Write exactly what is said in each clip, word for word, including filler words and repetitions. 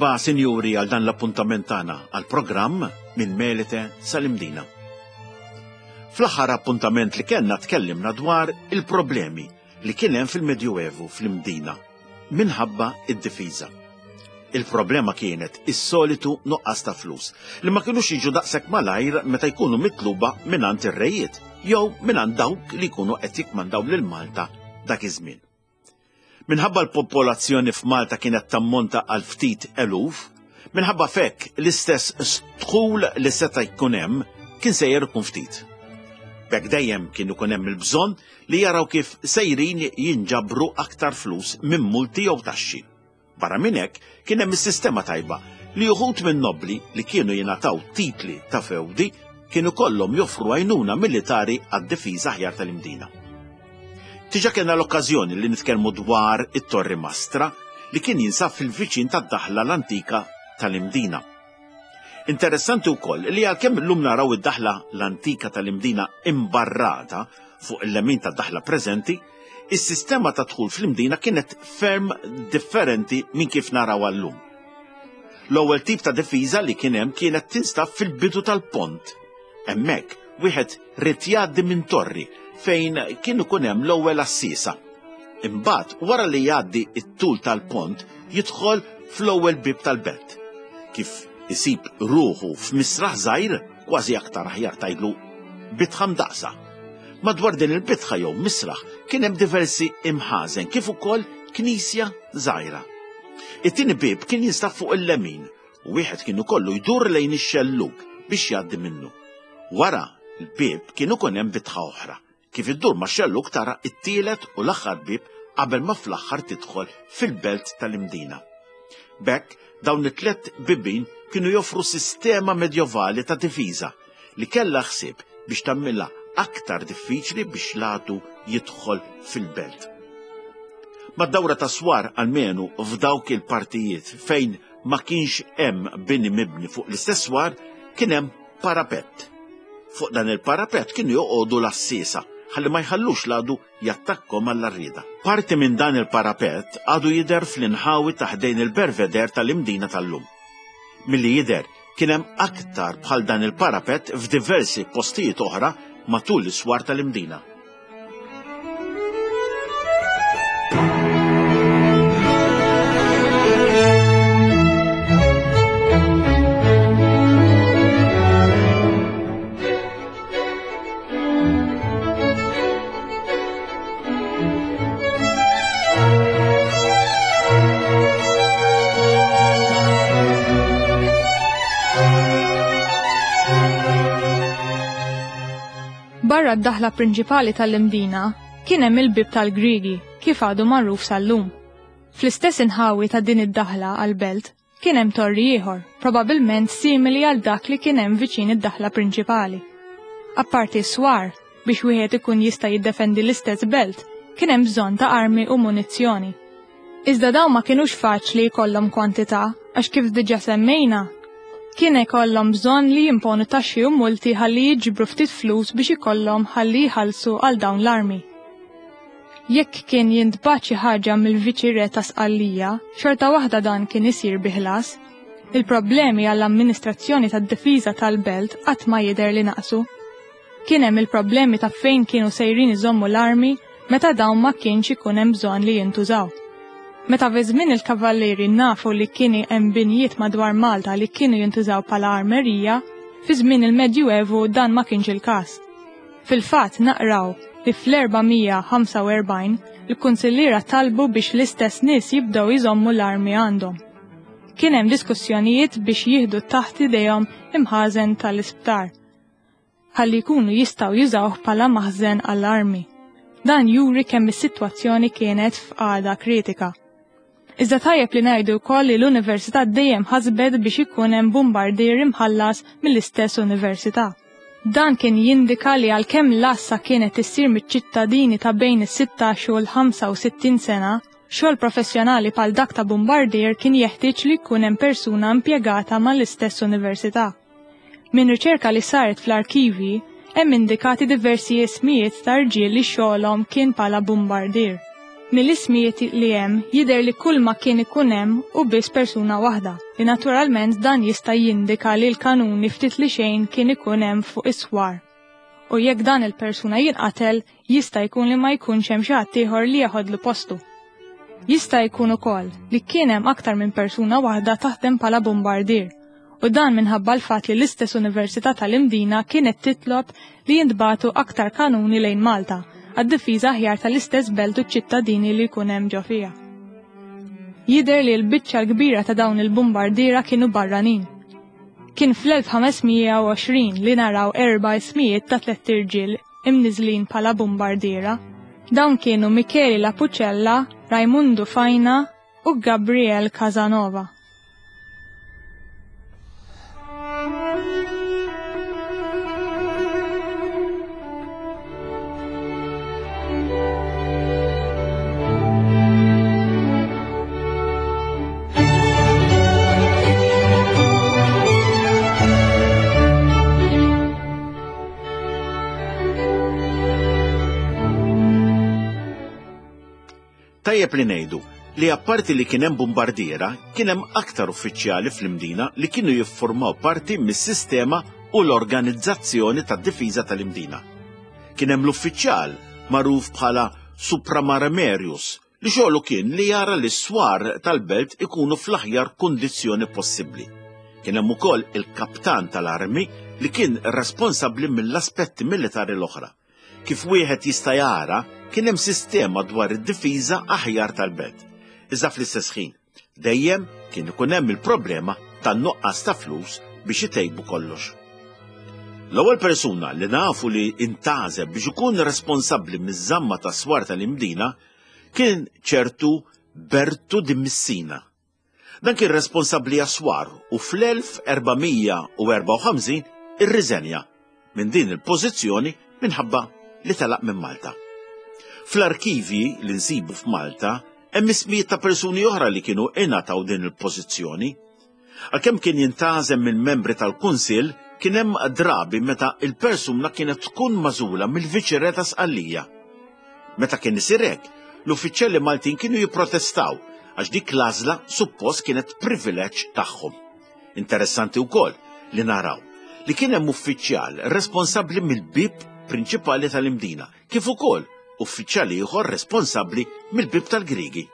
Merħba, sinjuri, għal dan l-appuntament tagħna għall-programm Minn Melite sal-Imdina. Fl-aħħar appuntament li kellna tkellimna dwar il-problemi li kien hemm fil-Medjuevu fl-Imdina minħabba id-difiża. Il-problema kienet is-solitu nuqqas ta' flus li ma kinux jiġu daqshekk malajr meta jkunu mitluba mingħand ir-rejiet jew mingħand dawk li jkunu qed jikmandaw lil Malta dak iż-żmien. Minħabba l-popolazzjoni f'Malta kienet tammonta għal ftit eluf, minħabba fekk l-istess dħul li seta' jkun hemm kien sejjer ikun ftit. B'hekk dejjem kien ikun hemm il-bżonn li jaraw kif sejrin jinġabru aktar flus minn multi jew taxxi. Barra minn hekk kien hemm is-sistema tajba li uħud minn nobbli li kienu jingħataw titli ta' fewdi kienu kollhom joffru għajnuna militari għad-difiża aħjar tal-Imdina. Diġà kellna l-okkażjoni li nitkellmu dwar it-Torri Mastra li kien jinsab fil-viċin tad-daħla l-antika tal-Imdina. Interessanti wkoll li għalkemm illum naraw id-daħla l-antika tal-Imdina imbarrata fuq il-lemin tad-daħla preżenti, is-sistema ta' dħul fl-Imdina kienet ferm differenti minn kif naraw llum. L-ewwel tip ta' difiża li kien hemm kienet tinstab fil-bidu tal-pont. Hemmhekk wieħed ried jgħaddi minn torri fejn kien ikun hemm l-ewwel assisa. Imbagħad wara li jgħaddi t-tul tal-pont jidħol fl-ewwel bieb tal-belt. Kif isib ruħu f'misraħ żgħir, kważi aktar aħjar tgħidlu bitħa mdaqsa. Madwar din il-bitħa jew misraħ kien hemm diversi imħażen kif ukoll knisja żgħira. It-tieni bieb kien jinstab fuq il-lemin u wieħed kien ikollu jdur lejn ix-xellug biex jgħaddi minnu. Wara l-bieb kien ikun hemm bitħa oħra. Kif iddur ma' xellug tara it-tielet u l-aħħar bieb qabel ma fl-aħħar tidħol fil-belt tal-Imdina. B'hekk dawn it-tliet bibien kienu joffru sistema medjovali ta' difiża li kellha ħsieb biex tagħmilha aktar diffiċli biex l-għadu jidħol fil-belt. Mad-dawra ta' swar almenu f'dawk il-partijiet fejn ma kienx hemm bini mibni fuq l-istess swar kien hemm parapett. Fuq dan il-parapett kienu joqogħdu l-assisa ħalli ma jħallux l-għadu jattakkom għall-arrieda. Parti minn dan il-parapett għadu jidher fl-inħawi ta' ħdejn il-Belvedere tal-Imdina tal-lum. Milli jidher kien hemm aktar bħal dan il-parapett f'diversi postijiet oħra matul l-iswar tal-Imdina. Barra d-daħla prinċipali tal-Imdina kien hemm il-bieb tal-Griegi kif għadu magħruf sal-lum. Fl-istess inħawi ta' din id-daħla għall-belt kien hemm torri ieħor, probabbilment simili għal dak li kien hemm viċin id-daħla prinċipali. Apparti s-swar, biex wieħed ikun jista' jiddefendi l-istess belt, kien hemm bżonn ta' armi u munizzjoni. Iżda dawn ma kinux faċli jkollhom kwantità għax kif diġà semmejna, kien ikollhom bżonn li jimponu taxxi u multi ħalli jiġbru ftit flus biex ikollhom ħalli jħallsu għal dawn l-armi. Jekk kien jintbagħat xi ħaġa mill-viċi re ta' Sqallija, xorta waħda dan kien isir bi ħlas. Il-problemi għall-amministrazzjoni tad-difiża tal-belt qatt ma jidher li naqsu. Kien hemm il-problemi ta' fejn kienu sejrin iżommu l-armi meta dawn ma kienx ikun hemm bżonn li jintużaw. Meta fi żmien il-kavallieri nafu li kien hemm binjiet madwar Malta li kienu jintużaw bħala armerija, fi żmien il-Medjuevu dan ma kienx il-każ. Fil-fatt naqraw li fl-erba' mija ħamsa u erbgħin il-kunsilliera talbu biex l-istess nies jibdew iżommu l-armi għandhom. Kien hemm diskussjonijiet biex jieħdu taħt idejhom imħażen tal-isptar, ħalli jkunu jistgħu jużawh bħala maħżen għall-armi. Dan juri kemm is-sitwazzjoni kienet f'qagħda kritika. Iżda tajjeb li ngħidu wkoll li l-università dejjem ħasbet biex ikun hemm bombardier imħallas mill-istess università. Dan kien jindika li għalkemm l-għassa kienet issir miċ-ċittadini ta' bejn is-sittax u l-ħamsa u sittin sena, xogħol professjonali bħal dak ta' bombardier kien jeħtieġ li jkun hemm persuna impjegata mal-istess università. Minn riċerka li saret fl-arkivi, hemm indikati diversi ismijiet ta' rġiel li xogħolhom kien bħala bombardier. Mill-ismijiet li hemm jidher li kull ma kien ikun hemm hu biss persuna waħda, li naturalment dan jista' jindika li l-kanuni ftit li xejn kien ikun hemm fuq is-swar. U jekk dan il-persuna jinqatel, jista' jkun li ma jkunx hemm xi ħadd ieħor li jeħodlu postu. Jista' jkun ukoll li kien hemm aktar minn persuna waħda taħdem bħala bombardier, u dan minħabba l-fatt li l-istess Università tal-Imdina kienet titlob li jintbagħtu aktar kanuni lejn Malta għad-difiża aħjar tal-istess belt u ċittadini li jkun hemm ġo fiha. Jidher li l-biċċa l-kbira ta' dawn il-bombardiera kienu barranin. Kien fl-elf ħames mija u għoxrin li naraw erba' ismijiet ta' tlett irġiel imniżlin bħala bombardiera. Dawn kienu Michele Lapucella, Raimundo Faina u Gabriel Casanova. Tajjeb li ngħidu li apparti li kien hemm bombardiera, kien hemm aktar uffiċjali fl-Imdina li kienu jiffurmaw parti mis-sistema u l-organizzazzjoni tad-difiża tal-Imdina. Kien hemm l-uffiċjal magħruf bħala Supramaramerius li xogħlu kien li jara li s-swar tal-belt ikunu fl-aħjar kundizzjoni possibbli. Kien hemm ukoll il-kaptan tal-armi li kien responsabbli mill-aspetti militari l-oħra. Kif wieħed jista' jara, kien hemm sistema dwar id-difiża aħjar tal-belt. Iżda fl-istess ħin, dejjem kien ikun hemm il-problema tan-nuqqas ta' flus biex itejbu kollox. L-ewwel persuna li nafu li intgħażel biex ikun responsabbli miż-żamma tas-swar tal-Imdina kien ċertu Bertu di Messina. Dan kien responsabbli għas-swar u fl-elf erba' mija u erbgħa u ħamsin irriżenja minn din il-pożizzjoni minħabba li telaq minn Malta. Fl-arkivi li nsibu f'Malta hemm ismijiet ta' persuni oħra li kienu ingħataw din il-pożizzjoni. Għalkemm kien jintgħażel minn membri tal-Kunsill, kien hemm drabi meta il-persuna kienet tkun magħżula mill-Viċirè ta' Sqallija. Meta kien isir hekk, l-uffiċjali Maltin kienu jipprotestaw għax dik l-għażla suppost kienet privileġġ tagħhom. Interessanti wkoll li naraw li kien hemm uffiċjal responsabbli mill-bib prinċipali tal-Imdina, kif ukoll uffiċjal ieħor responsabbli mill-bib tal-Griegi.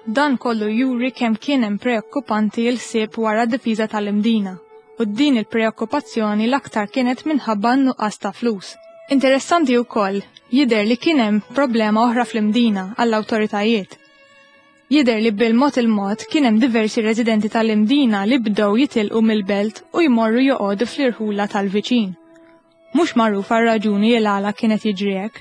Dan kollu juri kemm kien hemm preokkupanti l-ħsieb wara d-difiża tal-Imdina, u din il-preokkupazzjoni l-aktar kienet minħabba n-nuqqas ta' flus. Interessanti wkoll jidher li kien hemm problema oħra fl-Imdina għall-awtoritajiet. Jidher li bil-mod il-mod kien hemm diversi residenti tal-Imdina li bdew jitilqu mill-belt u jmorru joqogħdu fl-irħula tal-viċin. Mhux magħruf għar-raġuni l għala kienet jiġri hekk,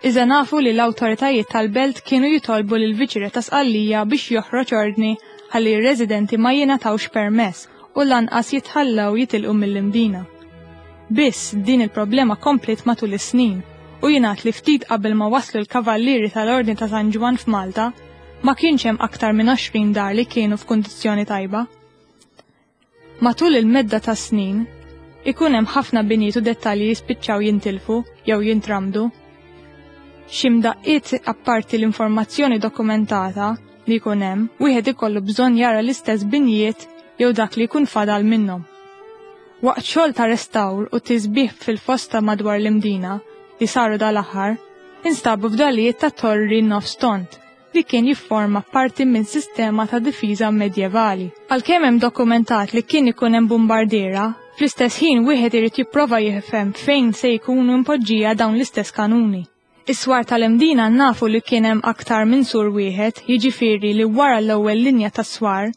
iżda nafu li l-awtoritajiet tal-belt kienu jitolbu lil viċirè ta' Sqallija biex joħroġ ordni ħalli r-residenti ma jingħatawx permess u lanqas jitħallew jitilqu mill-Imdina. Biss din il-problema kompliet matul is-snin u jingħad li ftit qabel ma waslu l-kavallieri tal-Ordni ta' San Ġwann f'Malta, ma kienx hemm aktar minn għoxrin dar li kienu f'kundizzjoni tajba. Matul il-medda ta' snin, ikun hemm ħafna binjiet u dettalji jispiċċaw jintilfu jew jintramdu. Xi mdaqqiet apparti l-informazzjoni dokumentata li jkun hemm, wieħed ikollu bżonn jara l-istess binjiet jew dak li jkun fadal minnhom. Waqt xogħol ta' restawr u tisbieħ fil-fosta madwar l-Imdina li saru dal-aħħar, instabu fdalijiet ta' torri nofs tond li kien jifforma parti minn sistema ta' difiża medjevali. Għalkemm hemm dokumentat li kien ikun hemm bombardiera, fl-istess ħin wieħed irid jipprova jifhem fejn se jkunu impoġġija dawn l-istess kanuni. Is-swar tal-Imdina nafu li kien hemm aktar minn sur wieħed, jiġifieri li wara l-ewwel linja tas-swar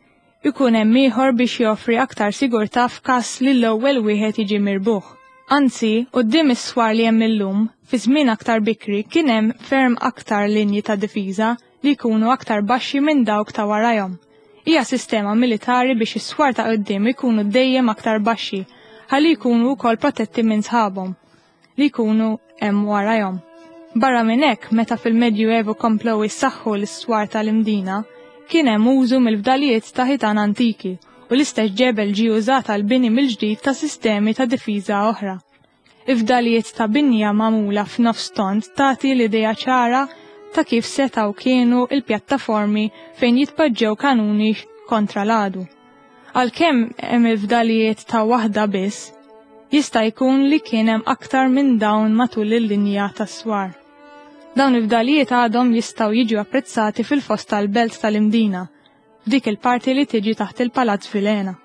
ikun hemm ieħor biex joffri aktar sigurtà f'każ li l-ewwel wieħed jiġi mirbuħ. Anzi, quddiem is-swar li hemm illum, fi żmien aktar bikri kien hemm ferm aktar linji ta' difiża li jkunu aktar baxxi minn dawk ta' warajhom. Hija sistema militari biex is-swar ta' quddiem ikunu dejjem aktar baxxi, ħalli jkunu wkoll protetti minn sħabhom li jkunu hemm warajhom. Barra minn hekk, meta fil-Medjuevu komplew issaħħu l-iswar tal-Imdina, kien hemm użu mill-fdalijiet ta' ħitan antiki u l-istess ġebel ġie użat għal bini mill-ġdid ta' sistemi ta' difiża oħra. Il-fdalijiet ta' binja magħmula f'nofs tond tagħti l-idea ċara ta' kif setgħu kienu il-pjattaformi fejn jitpoġġew kanuni kontra l-għadu. Għalkemm hemm il-fdalijiet ta' waħda biss, jista' jkun li kien hemm aktar minn dawn matul il-linja tas-swar. Dawn il-fdalijiet għadhom jistgħu jiġu apprezzati fil-fost tal-belt tal-Imdina, f'dik il-parti li tiġi taħt il-Palazz Vilhena.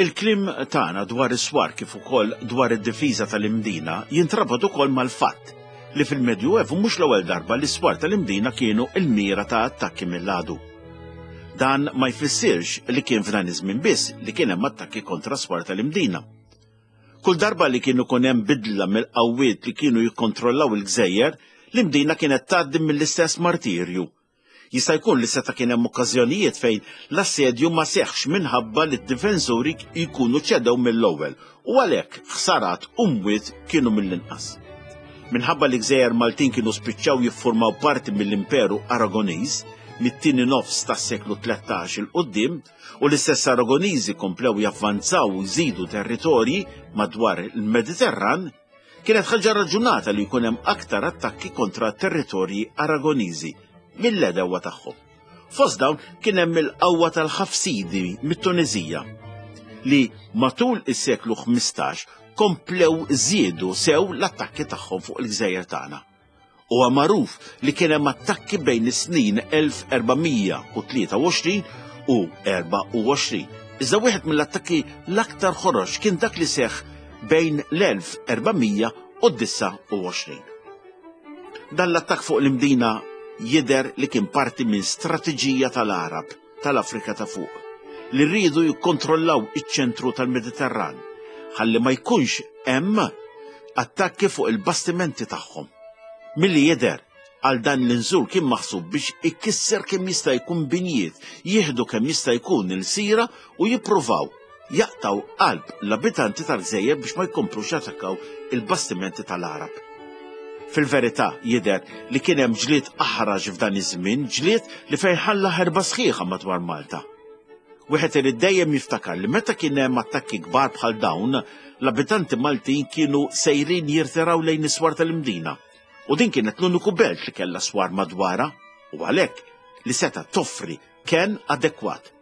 Il-kliem tagħna dwar is-swar kif ukoll dwar id-difiża tal-Imdina jintrabat ukoll mal-fatt li fil-Medjuevu mhux l-ewwel darba li s-swar tal-Imdina kienu l-mira ta' attakki mill-għadu. Dan ma jfissirx li kien f'dan iż-żmien biss li kien hemm attakki kontra s-swar tal-Imdina. Kull darba li kienu kun hemm bidla mill-qawwiet li kienu jikkontrollaw il-gżejjer, l-Imdina kienet tgħaddi mill-istess martirju. Jista' jkun li seta' kien hemm okkażjonijiet fejn l-assedju ma seħħx minħabba li d-difensuri jkunu ċedew mill-ewwel u għalhekk ħsarat u mwiet kienu mill-inqas. Minħabba li gżejjer Maltin kienu spiċċaw jiffurmaw parti mill-Imperu Aragoniż mit-tieni nofs tas-seklu tlettax il quddiem u l-istess Aragoniżi komplew javvanzaw u jżidu territorji madwar il-Mediterran, kienet ħaġa raġunata li jkun hemm aktar attakki kontra territorji Aragoniżi mill-edewa tagħhom. Fost dawn kien hemm il-qawwa tal-Ħafsidi mit-Tunizija li matul is-seklu ħmistax komplew żiedu sew l-attakki tagħhom fuq il-gżejjer tagħna. Huwa magħruf li kien hemm attakki bejn is-snin elf erbamija u tlieta u għoxrin u erba' u għoxrin. Iżda wieħed mill-attakki l-aktar ħorox kien dak li seħħ bejn l-elf erbamija u disa' u għoxrin. Dan l-attakk fuq l-Imdina jidher li kien parti minn strateġija tal-Arab tal-Afrika ta' fuq li rridu jikkontrollaw iċ-ċentru tal-Mediterran ħalli ma jkunx hemm attakki fuq il-bastimenti tagħhom. Milli jidher għal dan l-inżul kien maħsub biex ikisser kemm jista' jkun binjiet, jieħdu kemm jista' jkun il-sira u jippruvaw jaqtaw qalb l-abitanti tal-gżejjer biex ma jkomplux jattakkaw il-bastimenti tal-Arab. Fil-verità jidher li kien hemm ġlied aħraġ f'dan iż-żmien, ġlied li fejn ħalla ħerba sħiħa madwar Malta. Wieħed irid dejjem jiftakar li meta kien hemm attakki kbar bħal dawn, l-abitanti Maltin kienu sejrin jirtiraw lejn is-swar tal-Imdina. U din kienet l-uniku belt li kellha swar madwarha u għalhekk li seta' toffri kenn adekwat.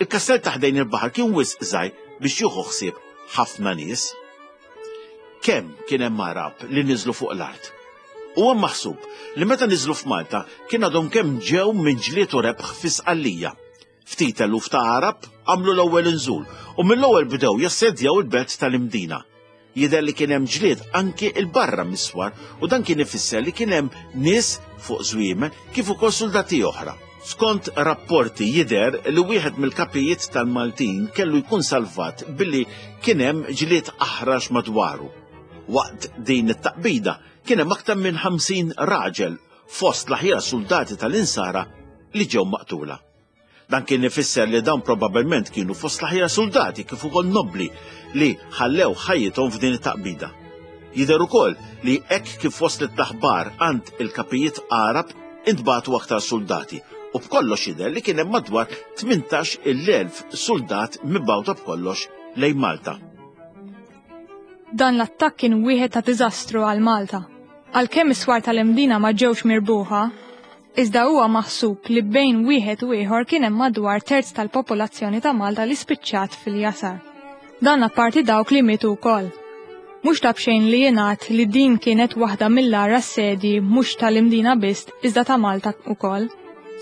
Il-kastell ta' ħdejn il-baħar kien wisq żgħir biex jieħu ħsieb ħafna nies. Kemm kien hemm Arab li niżlu fuq l-art. Huwa maħsub li meta niżlu f'Malta kien għadhom kemm ġew minn ġlied u rebħ fi Sqallija. Ftit eluf ta' Arab għamlu l-ewwel inżul u mill-ewwel bdew jassedjaw il-belt tal-Imdina. Jidher li kien hemm ġlied anki il barra mis-swar u dan kien ifisser li kien hemm nies fuq żwiemel kif ukoll soldati oħra. Skont rapporti jidher li wieħed mill-kapijiet tal-Maltin kellu jkun salvat billi kien hemm ġlied aħrax madwaru. Waqt din it-taqbida kien hemm aktar minn ħamsin raġel fost l-aħjar soldati tal-insara li ġew maqtula. Dan kien ifisser li dawn probabbilment kienu fost l-aħjar soldati kif ukoll nobbli li ħallew ħajjithom f'din it-taqbida. Jidher ukoll li hekk kif waslet l-aħbar għand il-kapijiet Arab intbagħtu aktar soldati u b'kollox jidher li kien hemm madwar tmintax il-elf soldat mibgħuta b'kollox lejn Malta. Dan l-attakk kien wieħed ta' diżastru għal Malta. Għalkemm is-swar tal-Imdina ma ġewx mirbuħa, iżda huwa maħsub li bejn wieħed u ieħor kien hemm madwar terz tal-popolazzjoni ta' Malta li spiċċat fil-jasar. Dan apparti dawk li mietu wkoll. Mhux ta' b'xejn li jingħad li din kienet waħda mill-agħar assedji mhux tal-Imdina biss iżda ta' Malta wkoll.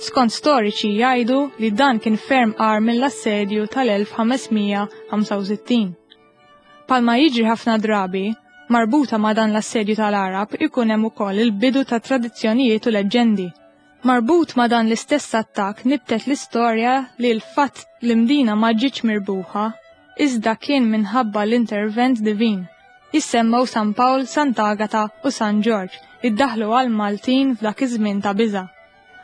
Skont storiċi jgħidu li dan kien ferm agħar mill-assedju tal-elf ħamesmija ħamsa u sittin. Palma jiġri ħafna drabi, marbuta ma' dan l-assedju tal-Arab ikun hemm ukoll il-bidu ta' tradizzjonijiet u leġġendi. Marbut ma' dan l-istess attakk nibtet l-istorja li l-fatt l-Imdina ma ġietx mirbuħa, iżda kien minħabba l-intervent divin. Jissemmew San Pawl, Sant'Agata u San Ġorġ li ddaħlu għal Maltin f'dak iż-żmien ta' biża'.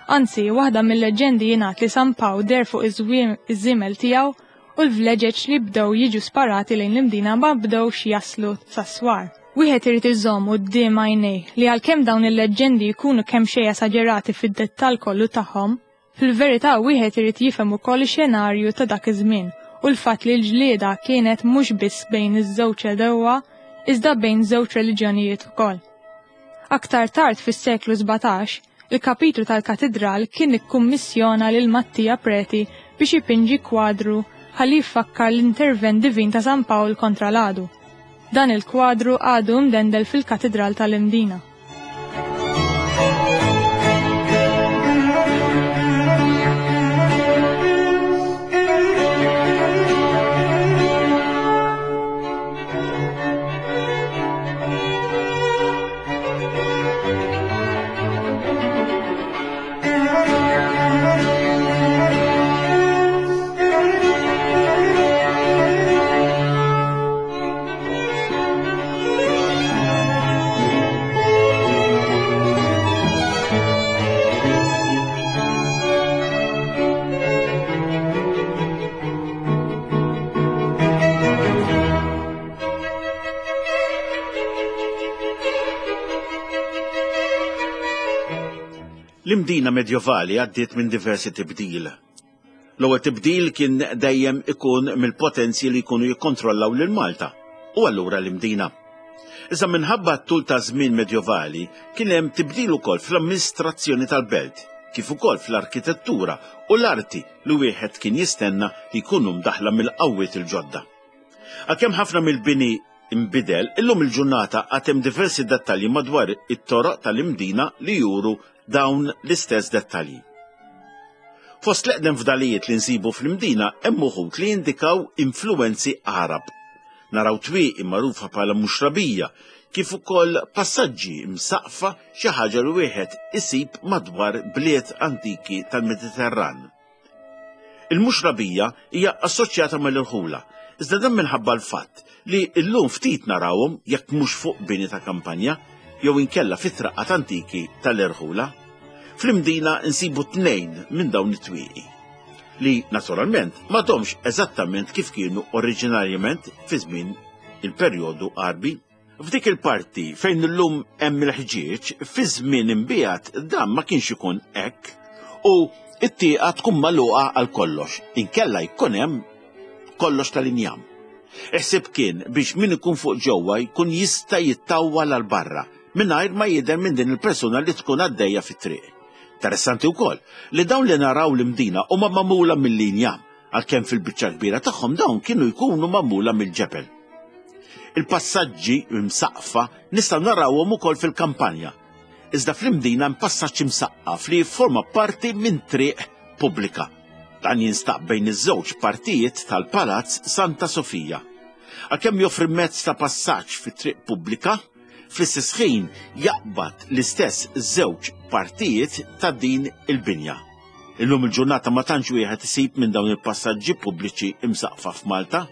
Anzi, waħda mill-leġġendi jingħad li San Pawl deher fuq iż-żiemel tiegħu u l-vleġeġ li bdew jiġu sparati lejn l-Imdina ma bdewx jaslu sas-swar. Wieħed irid iżomm quddiem għajnejh li għalkemm dawn il-leġġendi jkunu kemm xejn esaġerati fid-dettall kollu tagħhom, fil-verità wieħed irid jifhem ukoll ix-xenarju ta' dak iż-żmien u l-fatt li l-ġlieda kienet mhux biss bejn iż-żewġ għedewwa iżda bejn żewġ reliġjonijiet ukoll. Aktar tard fis-seklu sbatax, il-kapitlu tal-katidral kien ikkummissjona lil Mattia Preti biex ipinġi kwadru ħalli jfakkar l-intervent divin ta' San Pawl kontra l-għadu. Dan il-kwadru għadu mdendel fil-katidral tal-Imdina. L-Imdina medjovali għaddiet minn diversi tibdil. L-ewwel tibdil kien dejjem ikun mill-potenzi li jkunu jikkontrollaw lil Malta u allura l-Imdina. Iżda minħabba t-tul ta' żmien medjovali kien hemm tibdil ukoll fl-amministrazzjoni tal-belt, kif ukoll fl-arkitettura u l-arti li wieħed kien jistenna li jkunu mdaħla mill-qawwiet il-ġodda. Għalkemm ħafna mill-bini imbidel, illum il-ġurnata għad hemm diversi dettalji madwar it-toroq tal-Imdina li juru dawn l-istess dettalji. Fost l-eqdem fdalijiet li nsibu fl-Imdina hemm uħud li jindikaw influwenzi Għarab. Naraw twieqi magħrufa bħala muxrabija, kif ukoll passaġġi msaqfa xi ħaġa li wieħed isib madwar bliet antiki tal-Mediterran. Il-muxrabija hija assoċjata mal-irħula, iżda dan minħabba l-fatt li llum ftit narawhom jekk mhux fuq bini ta' kampanja jew inkella fit-traqqat antiki tal-irħula. Fl-Imdina nsibu tnejn minn dawn it-twieqi, li naturalment m'għadhomx eżattament kif kienu oriġinarjament fi żmien il-perjodu Għarbi. F'dik il-parti fejn illum hemm il-ħġieġ, fi żmien imbiegħed dan ma kienx ikun hekk u it-tieqa tkun magħluqa għal kollox, inkella jkun hemm kollox tal-injam. Iħsib kien biex min ikun fuq ġewwa jkun jista' jittawwal għal barra mingħajr ma jidher minn din il-persuna li tkun għaddejja fit-triq. Interessanti wkoll li dawn li naraw l-Imdina huma magħmula mill-injam, għalkemm fil-biċċa kbira tagħhom dawn kienu jkunu magħmula mill-ġebel. Il-passaġġi msaqfa nistgħu narawhom ukoll fil-kampanja. Iżda fl-Imdina hemm passaġġ imsaqqaf li jifforma parti minn triq pubblika. Dan jinstab bejn iż-żewġ partijiet tal-Palazz Santa Sofija. Għalkemm joffri mezz ta' passaġġ fit-triq pubblika, fl-istess ħin jaqbad l-istess żewġ partijiet ta' din il-binja. Illum il-ġurnata ma tantx wieħed isib minn dawn il-passaġġi pubbliċi imsaqfa f'Malta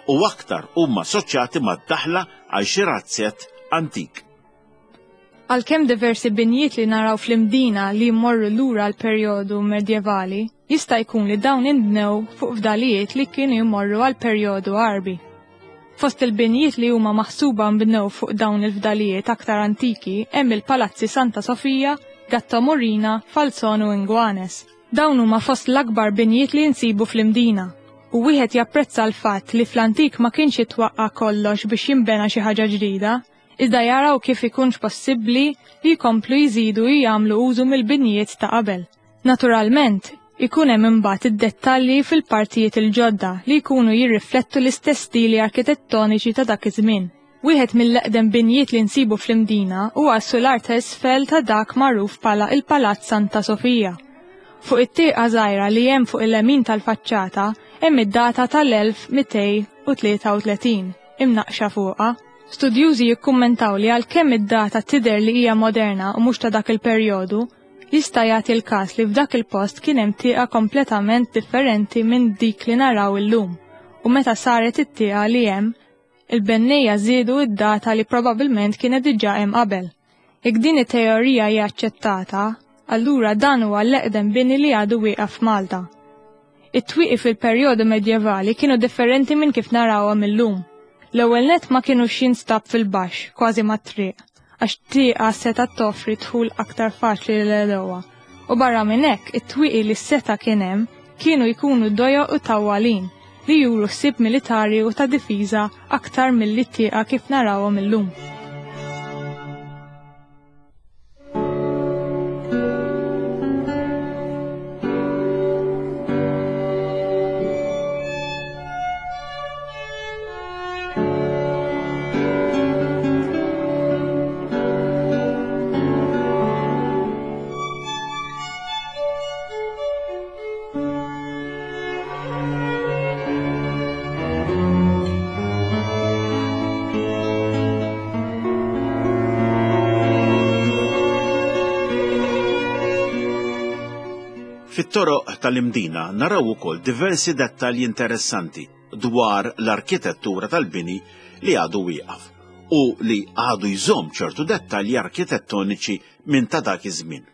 u aktar huma assoċjati mad-daħla għal xi razzett antik. Għalkemm diversi binjiet li naraw fl-Imdina li jmorru lura għal perjodu medjevali, jista' jkun li dawn inbnew fuq fdalijiet li kienu jmorru għal perjodu Għarbi. Fost il-binjiet li huma maħsuba nbnew fuq dawn il-fdalijiet aktar antiki hemm il-Palazzi Santa Sofija, Gatto Morina, Falzon u Inguanes. Dawn huma fost l-akbar binjiet li nsibu fl-Imdina. U wieħed japprezza l-fatt li fl-antik ma kienx jitwaqqa' kollox biex jinbena xi ħaġa ġdida, iżda jaraw kif ikunx possibbli li jkomplu jżidu jagħmlu użu mill-binjiet ta' qabel. Naturalment, ikun hemm imbagħad id-dettalji fil-partijiet il-ġodda li jkunu jirriflettu l-istess stili arkitettoniċi ta' dak iż-żmien. Wieħed mill-eqdem binjiet li nsibu fl-Imdina huwa s-sular ta' isfel ta' dak magħruf bħala il-Palazz Santa Sofija. Fuq it-tieqa żgħira li hemm fuq il-lemin tal-faċċata hemm id-data tal-elf mitej u tlieta u tletin imnaqxa fuqha. Studjużi jikkummentaw li għalkemm id-data tidher li hija moderna u mhux ta' dak il-perjodu, jista' jagħti l-każ li f'dak il-post kien hemm tieqa kompletament differenti minn dik li naraw illum, u meta saret it-tieqa li hemm, il-bennejja żiedu id-data li probabbilment kienet diġà hemm qabel. Jekk din it-teorija hija aċċettata, Allura dan huwa l-eqdem bini li għadu wieqaf f'Malta. It-twieqi fil-perjodu medjevali kienu differenti minn kif narawhom illum. L-ewwel nett ma kinux jinstab fil-baxx, kważi mat-triq, għax tieqa setgħet toffri dħul aktar faċli lil għedewwa. U barra minn hekk, it-twieqi li seta' kien hemm kienu jkunu dojoq u tawwalin li juru ħsieb militari u ta' difiża aktar milli t-tieqa kif narawhom illum. Fit-toroq tal-Imdina naraw ukoll diversi dettalji interessanti dwar l-arkitettura tal-bini li għadu wieqaf u li għadu jżomm ċertu dettalji arkitettoniċi minn ta' dak iż-żmien.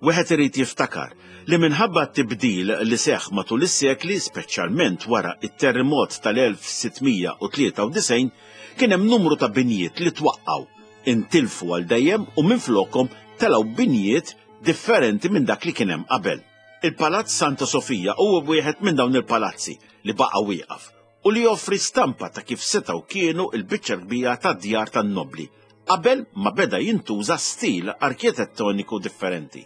Wieħed irid jiftakar li minħabba t-tibdil li seħħ matul is-sekli, speċjalment wara it-terremot tal-elf sitt mija u tlieta u disgħin, kien hemm numru ta' binjiet li twaqqgħu, intilfu għal dejjem u minflokhom telgħu binjiet differenti minn dak li kien hemm qabel. Il-Palazz Santa Sofija huwa wieħed minn dawn il-palazzi li baqa' wieqaf u li joffri stampa ta' kif setgħu kienu l-biċċa kbira tad-djar tan-nobli qabel ma beda jintuża stil arkitettoniku differenti.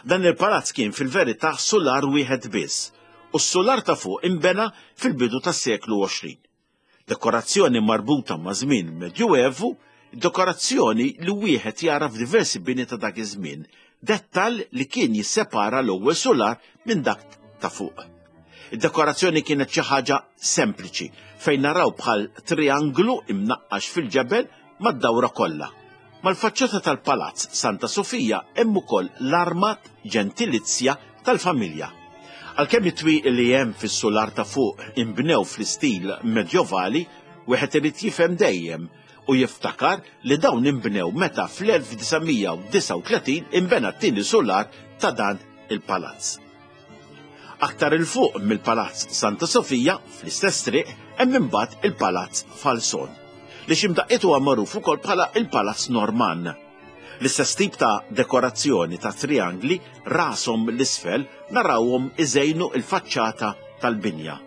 Dan il-palazz kien fil-verità sular wieħed biss u s-sular ta' fuq imbena fil-bidu tas-seklu għoxrin. Dekorazzjoni marbuta ma' żmien Medjuevu, dekorazzjoni li wieħed jara f'diversi bini ta' dak iż-żmien, dettall li kien jissepara l-ewwel sular minn dak ta' fuq. Id-dekorazzjoni kienet xi ħaġa sempliċi fejn naraw bħal trianglu imnaqqax fil-ġebel mad-dawra kollha. Mal-faċċata tal-Palazz Santa Sofija hemm ukoll l-armat ġentilizja tal-familja. Għalkemm it-twieqi li hemm fis-sular ta' fuq inbnew fl-istil medjovali, wieħed irid jifhem dejjem u jiftakar li dawn inbnew meta fl-elf disa' mija u disgħa u tletin inbena t-tieni sular ta' dan il-palazz. Aktar il fuq mill-Palazz Santa Sofija, fl-istess triq, hemm imbagħad il-Palazz Falson, li x'imdaqqiet huwa magħruf ukoll bħala il-Palazz Norman. L-istess tip ta' dekorazzjoni ta' triangli rashom l-isfel narawhom iżejnu il-faċċata tal-binja.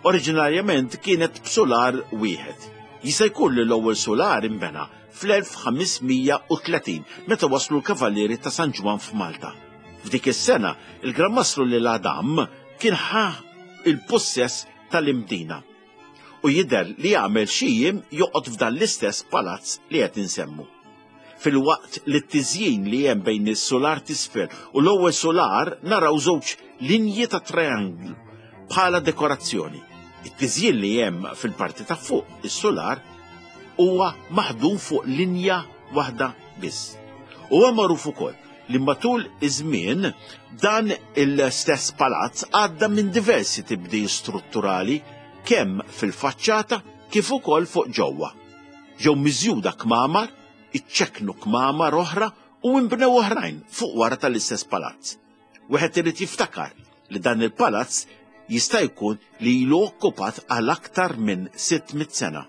Oriġinarjament kienet b'sular wieħed. Jista' jkun li l-ewwel sular inbena fl-elf ħames mija u tletin meta waslu l-Kavallieri ta' San Ġwann f'Malta. F'dik is-sena, il-Gran Mastru L'Isle-Adam kien ħa il-possess tal-Imdina u jidher li għamel xi jiem joqgħod f'dan l-istess palazz li qed insemmu. Fil-waqt li t-tiżjin li hemm bejn is-sular t'isfel u l-ewwel sular naraw żewġ linji ta' trianglu bħala dekorazzjoni. It-tiżjin li hemm fil-parti ta' fuq is-sular huwa maħdum fuq linja waħda biss. Huwa magħruf ukoll li matul iż-żmien dan il-stess palazz għadda minn diversi tibdil strutturali kemm fil-faċċata kif ukoll fuq ġewwa. Ġew miżjuda kmamar, iċċeknu kmamar oħra u inbnew oħrajn fuq wara tal-istess palazz. Wieħed irid jiftakar li dan il-palazz jista' jkun li ilu okkupat għal aktar minn sitt mitt sena.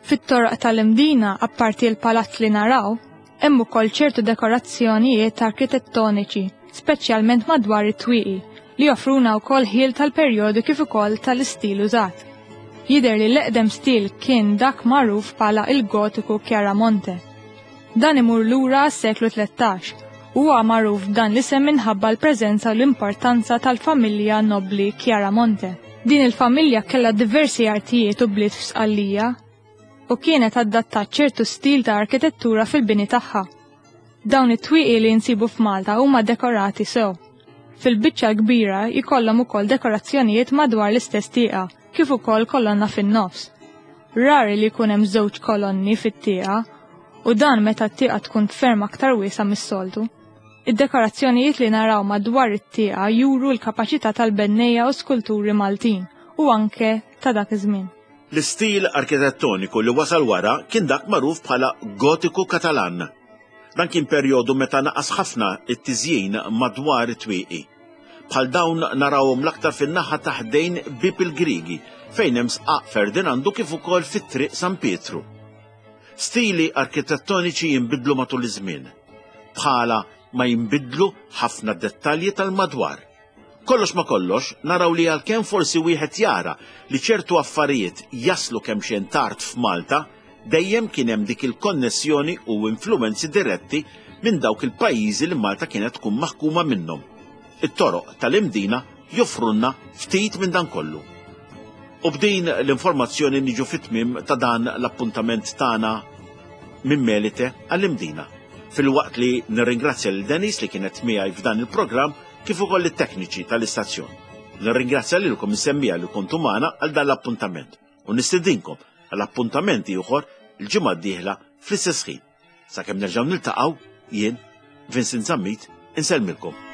Fit-toroq tal-Imdina, apparti l-palazz li naraw, hemm ukoll ċertu dekorazzjonijiet arkitettoniċi, speċjalment madwar it-twieqi, li joffruna wkoll ħiel tal-perjodu kif ukoll tal-istil użat. Jidher li l-eqdem stil kien dak magħruf bħala il-Gotiku Chiaramonte. Dan imur lura għas-seklu tlettax Huwa magħruf b'dan l-isem minħabba l-preżenza u l-importanza tal-familja nobli Chiaramonte. Din il-familja kellha diversi artijiet u bliet f'Sqallija u kienet adattat ċertu stil ta' arkitettura fil-bini tagħha. Dawn it-twieqi li nsibu f'Malta huma dekorati sew. Fil-biċċa kbira jkollhom ukoll dekorazzjonijiet madwar l-istess tieqa, kif ukoll kolonna fin-nofs. Rari li jkun hemm żewġ kolonni fit-tieqa u dan meta t-tieqa tkun ferm aktar wiesgħa mis-soltu. Id-dekorazzjonijiet li naraw madwar it-tieqa juru l-kapaċità tal-bennejja u skulturi Maltin u anke ta' dak iż-żmien. L-istil arkitettoniku li wasal wara kien dak magħruf bħala Gotiku Katalan. Dan kien perjodu meta naqas ħafna it-tiżjin madwar it-twieqi. Bħal dawn narawhom l-aktar fin-naħa ta' ħdejn Bieb il-Griegi, fejn hemm Sqaq Ferdinandu kif ukoll fit-Triq San Pietru. Stili arkitettoniċi jinbidlu matul iż-żmien. Bħala ma jinbidlu ħafna dettalji tal-madwar. Kollox ma kollox, naraw li għalkemm forsi wieħed jara li ċertu affarijiet jaslu kemm xejn tard f'Malta, dejjem kien hemm dik il-konnessjoni u influenzi diretti minn dawk il-pajjiżi li Malta kienet tkun maħkuma minnhom. It-toroq tal-Imdina joffrunna ftit minn dan kollu. U b'din l-informazzjoni niġu fit-tmiem ta' dan l-appuntament tagħna minn Melite għall-Imdina. Filwaqt li nirringrazzja lil Denis li kienet miegħi f'dan il-programm kif ukoll it-tekniċi tal-istazzjon. Nirringrazzja lilkom is-semmiegħa li kontu magħna għal dan l-appuntament u nistedinkom għal appuntament ieħor il-ġimgħa d-dieħla fl-istess ħin. Sakemm nerġgħu niltaqgħu, jien, Vincent Zammit, insellmilkom.